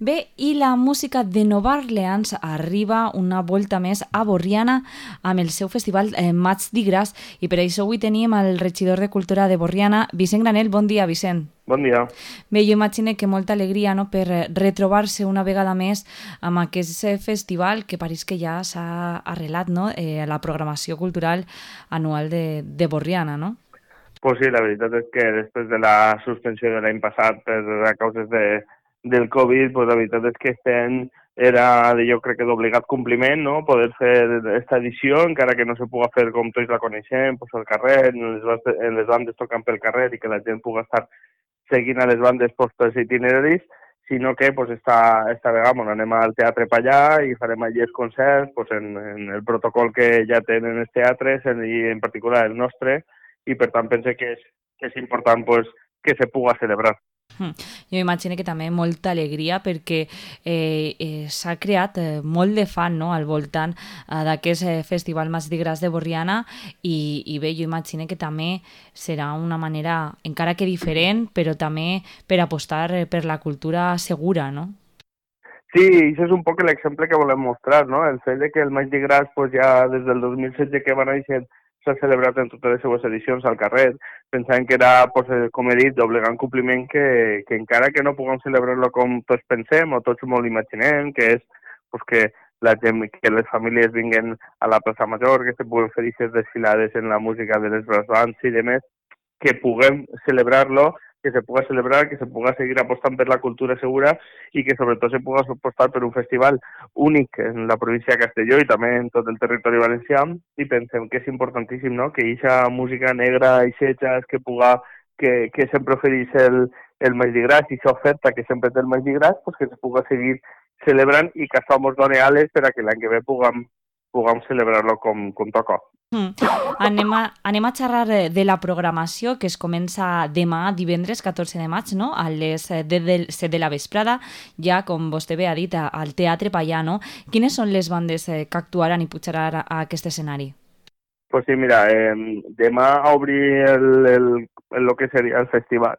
Bé, i la música de Nova Orleans arriba una volta més a Borriana amb el seu festival Maig d'Igras i per això avui tenim el regidor de Cultura de Borriana, Vicent Granell. Bon dia, Vicent. Bon dia. Bé, jo imagino que molta alegria, no?, per retrobar-se una vegada més amb aquest festival que pareix que ja s'ha arrelat, no?, a la programació cultural anual de Borriana, no? Pues sí, la veritat és que després de la suspensió de l'any passat per a causes del Covid, pues la veritat és que este any era, jo crec que d'obligat compliment, no?, poder fer esta edició, encara que no se puga fer com tots la coneixem, pues al carrer, en les bandes tocant pel carrer i que la gent puga estar seguint a les bandes pels itineraris, sinó que pues, esta vegada bueno, anem al Teatre Pallà i farem allí els concerts pues, en el protocol que ja tenen els teatres i en particular el nostre, i per tant pense que és important pues, que se puga celebrar. Jo imagino que també molta alegria perquè s'ha creat molt de fan, no?, al voltant d'aquest festival Maig d'Igras de Borriana i bé, jo imagino que també serà una manera, encara que diferent, però també per apostar per la cultura segura, no? Sí, això és un poc l'exemple que volem mostrar, no? El fet de que el Maig d'Igras pues, ja des del 2016 que va néixer s'ha celebrat en totes les seues edicions al carrer, pensant que era, pues, com he dit, d'obligant compliment que encara que no puguem celebrar-lo com tots pensem o tots molt imaginem, que és pues, que la gent, que les famílies vinguen a la plaça Major, que se puguen fer aquestes desfilades en la música de les brass bands i demés, que puguem celebrar-lo, que se puga celebrar, que se puga seguir apostant per la cultura segura i que sobretot se puga apostar per un festival únic en la província de Castelló i també en tot el territori valencià, i pensem que és importantíssim, no?, que aquesta música negra i xetxes que sempre ofereix el Maig d'Igras i aquesta oferta que sempre té el Maig d'Igras, pues que se puga seguir celebrant i que això ens doni ales per a que l'any que ve puguem celebrar-lo com toca. Anem a xerrar de la programació que es comença demà, divendres 14 de maig, no?, a les 7 de la vesprada, ja, com vostè bé ha dit, al Teatre Pallà, no? Quines són les bandes que actuaran i pujaran a aquest escenari? Pues sí, mira, demà a obrir el que seria el festival,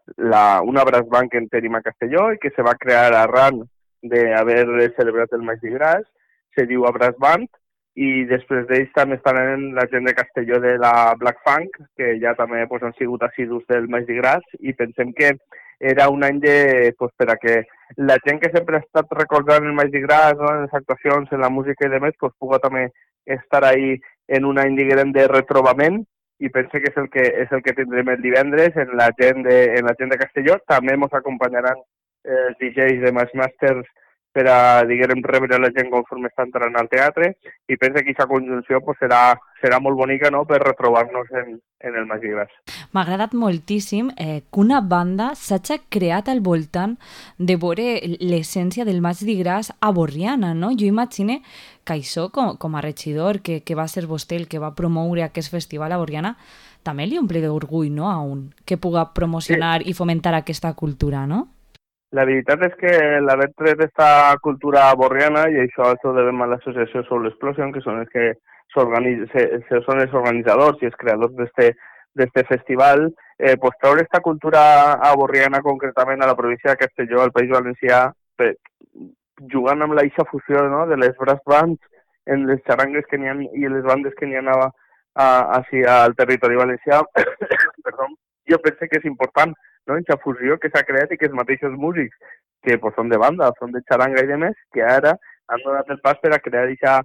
una brass band que en tenim a Castelló i que se va crear arran d'haver celebrat el Maig d'Igras, se diu a Brass Band, i després d'ells també estaran la gent de Castelló de la Black Funk, que ja també pues, han sigut assidus del Maig d'Igras, i pensem que era un any pues, per a que la gent que sempre ha estat recordant el Maig d'Igras, no, en les actuacions, en la música i demés, pues, puga també estar ahí en un any, diguem, de retrobament, i pense que és el que tindrem el divendres en la gent de Castelló. També ens acompanyaran els DJs de Masters per a, diguem, rebre la gent conforme està entrant al teatre, i penso que aquesta conjunció pues, serà molt bonica, no?, per retrobar-nos en el Maig d'Igras. M'ha agradat moltíssim que una banda s'hagi creat al voltant de veure l'essència del Maig d'Igras a Borriana, no? Jo imagino que això, com a regidor, que va ser vostè el que va promoure aquest festival a Borriana, també li omple d'orgull, no?, a un que puga promocionar i fomentar aquesta cultura, no? La veritat és que l'haver tret aquesta cultura borriana, i això ho devem a l'associació Soul Explosion, que són els que són els organitzadors i els creadors d'este festival, pues treure aquesta cultura borriana concretament a la província de Castelló, al País Valencià, jugant amb la eixa fusió, no?, de les brass bands en les xarangues que n'hi ha i les bandes que n'hi ha al territori valencià, perdó, jo penso que és important, no?, aquesta fusió que s'ha creat i que els mateixos músics que pues, són de banda, són de xaranga i demés, que ara han donat el pas per a crear aquesta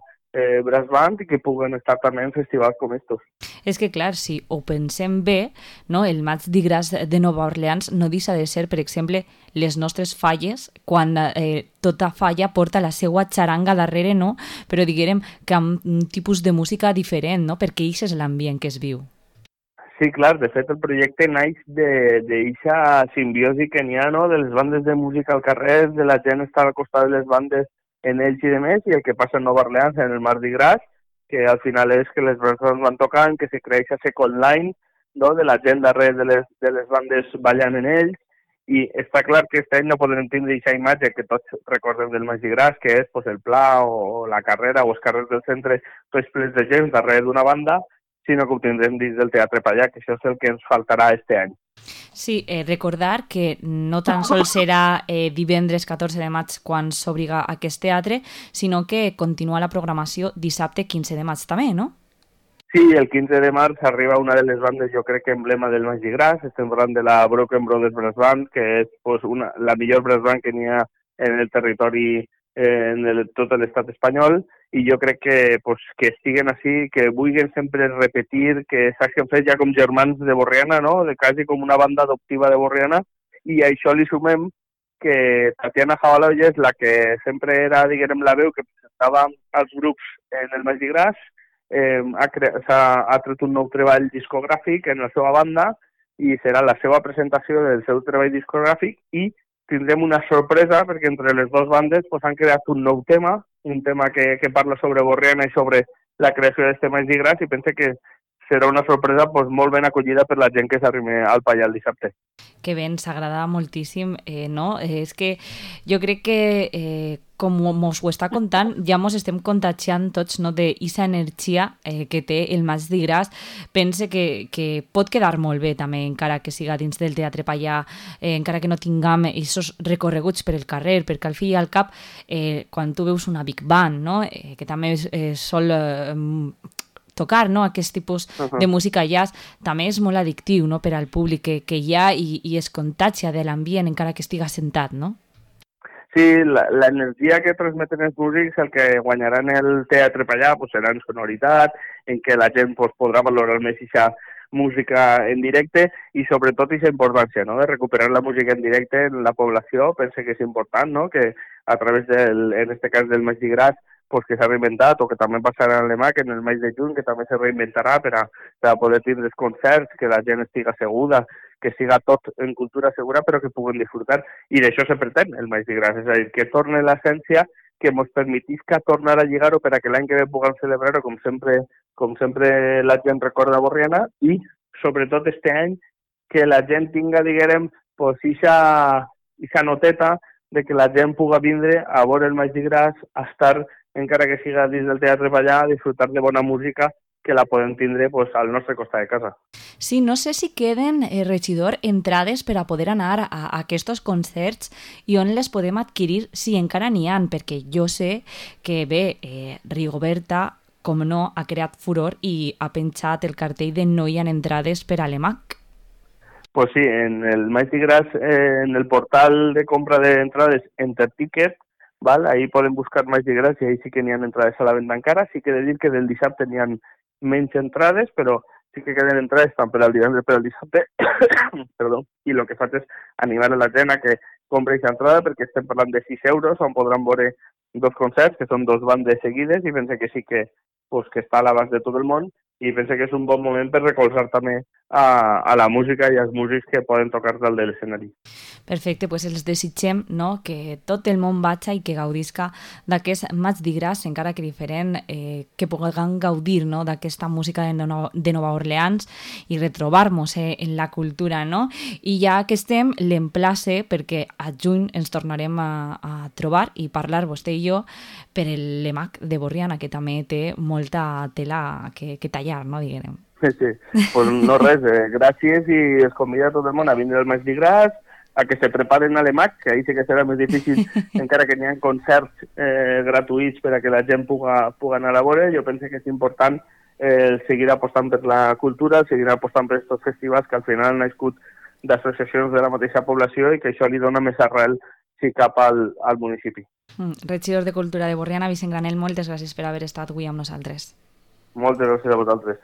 brass band i que puguen estar també en festivals com estos. És que, clar, si ho pensem bé, no, el Maig d'Igras de Nova Orleans no deixa de ser, per exemple, les nostres falles, quan tota falla porta la seva xaranga darrere, no? Però diguem que amb un tipus de música diferent, no?, perquè això és l'ambient que es viu. Sí, clar, de fet el projecte naix d'aquesta simbiosi que n'hi ha, no?, de les bandes de música al carrer, de la gent estar al costat de les bandes en ells i demés, i el que passa en Nova Orleans, en el Maig d'Igras, que al final és que les persones van tocant, que se creix a second line, no?, de la gent darrere de les bandes ballant en ells, i està clar que aquest any no podrem tindre aquesta imatge que tots recordem del Maig d'Igras, que és pues, el Pla o la carrera o els carrers del centre, tots plens de gent darrere d'una banda, sinó que ho tindrem dins del Teatre Pallà, que això és el que ens faltarà este any. Sí, recordar que no tan sols serà divendres 14 de maig quan s'obriga aquest teatre, sinó que continua la programació dissabte 15 de maig també, no? Sí, el 15 de març arriba una de les bandes, jo crec que emblema del Magí Gras, estem parlant de la Broken Brothers Brass Band, que és pues, la millor brass band que n'hi ha en el territori tot l'estat espanyol, i jo crec que, pues, que estiguen així, que vulguin sempre repetir, que s'hagin fet ja com germans de Borriana, no? De quasi com una banda adoptiva de Borriana, i a això li sumem que Tatiana Jabaloya és la que sempre era, diguem, la veu que presentava als grups en el Magí Gras, ha tret un nou treball discogràfic en la seva banda i serà la seva presentació del seu treball discogràfic i tindrem una sorpresa perquè entre les dues bandes pues, han creat un nou tema, un tema que parla sobre Borriana i sobre la creació d'aquest Magí Gras i pense que serà una sorpresa pues, molt ben acollida per la gent que s'arrime al Pallà el dissabte. Que bé, ens agrada moltíssim, no? És que jo crec que, com mos ho està contant, ja mos estem contagiant tots, no?, d'aquesta energia que té el Maig de Gras. Pense que pot quedar molt bé també, encara que siga dins del Teatre Pallà, encara que no tinguem aquests recorreguts per el carrer, perquè al fi i al cap, quan tu veus una big band, no?, que també sol tocar, no?, aquest tipus de música jazz també és molt addictiu, no?, per al públic que hi ha i es contagia de l'ambient encara que estiga sentat, no? Sí, l'energia que transmeten els músics, el que guanyaran el Teatre Pallà pues, serà en sonoritat, en què la gent pues, podrà valorar més aquesta música en directe i sobretot aquesta importància, no?, de recuperar la música en directe en la població. Pense que és important, no?, que a través en este cas del Magí Gras pues, que s'ha reinventat, o que també passarà en l'EMAC en el mes de juny, que també se reinventarà per a poder tindre els concerts, que la gent estiga segura, que siga tot en cultura segura, però que puguen disfrutar. I d'això se pretén el Magí Gras, és a dir, que torne l'essència, que ens permetisca tornar a lligar-ho per a que l'any que ve puguem celebrar-ho com sempre la gent recorda Borriana, i sobretot este any que la gent tinga, diguem, pues, ixa noteta de que la gent puga vindre a veure el Magí Gras, a estar encara que siga dins del Teatre Pallà, a disfrutar de bona música que la podem tindre pues, al nostre costat de casa. Sí, no sé si queden, regidor, entrades per a poder anar a aquests concerts i on les podem adquirir, si encara n'hi ha, perquè jo sé que bé, Rigoberta, com no, ha creat furor i ha penjat el cartell de no hi ha entrades per a l'EMAC. Pues sí, en el Magí Gras, en el portal de compra d'entrades Enterticket, ¿vale? Ahí poden buscar Magí Gras i ahí sí que n'hi ha entrades a la venda encara. Sí que he de dir que del dissabte n'hi ha menys entrades, però sí que queden entrades tant per al divendres per al dissabte, perdó, i el que faig és animar a la gent a que compri aquesta entrada perquè estem parlant de 6 euros on podran veure dos concerts, que són dos bandes seguides, i pense que sí que, pues, que està a l'abast de tot el món, i pense que és un bon moment per recolzar també a la música i als músics que poden tocar dalt de l'escenari. Perfecte, doncs els desitgem, no?, que tot el món vagi i que gaudisca d'aquest Maig de Gras, encara que diferent, que puguem gaudir, no?, d'aquesta música de Nova Orleans i retrobar-nos en la cultura, no? I ja que estem, l'emplace perquè a juny ens tornarem a trobar i parlar vostè i jo per l'EMAC de Borriana, que també té molta tela que tallar, no, diguem. Sí, pues no res, gràcies i es convida a tot el món a vindre al Magí Gras, a que se preparen a l'EMAC, que ahí sí que serà més difícil, encara que n'hi ha concerts gratuïts per a que la gent puga anar a veure. Jo penso que és important seguir apostant per la cultura, seguir apostant per aquests festivals que al final han nascut d'associacions de la mateixa població i que això li dona més arrel si cap al municipi. Regidor de Cultura de Borriana, Vicent Granell, moltes gràcies per haver estat avui amb nosaltres. Moltes gràcies a vosaltres.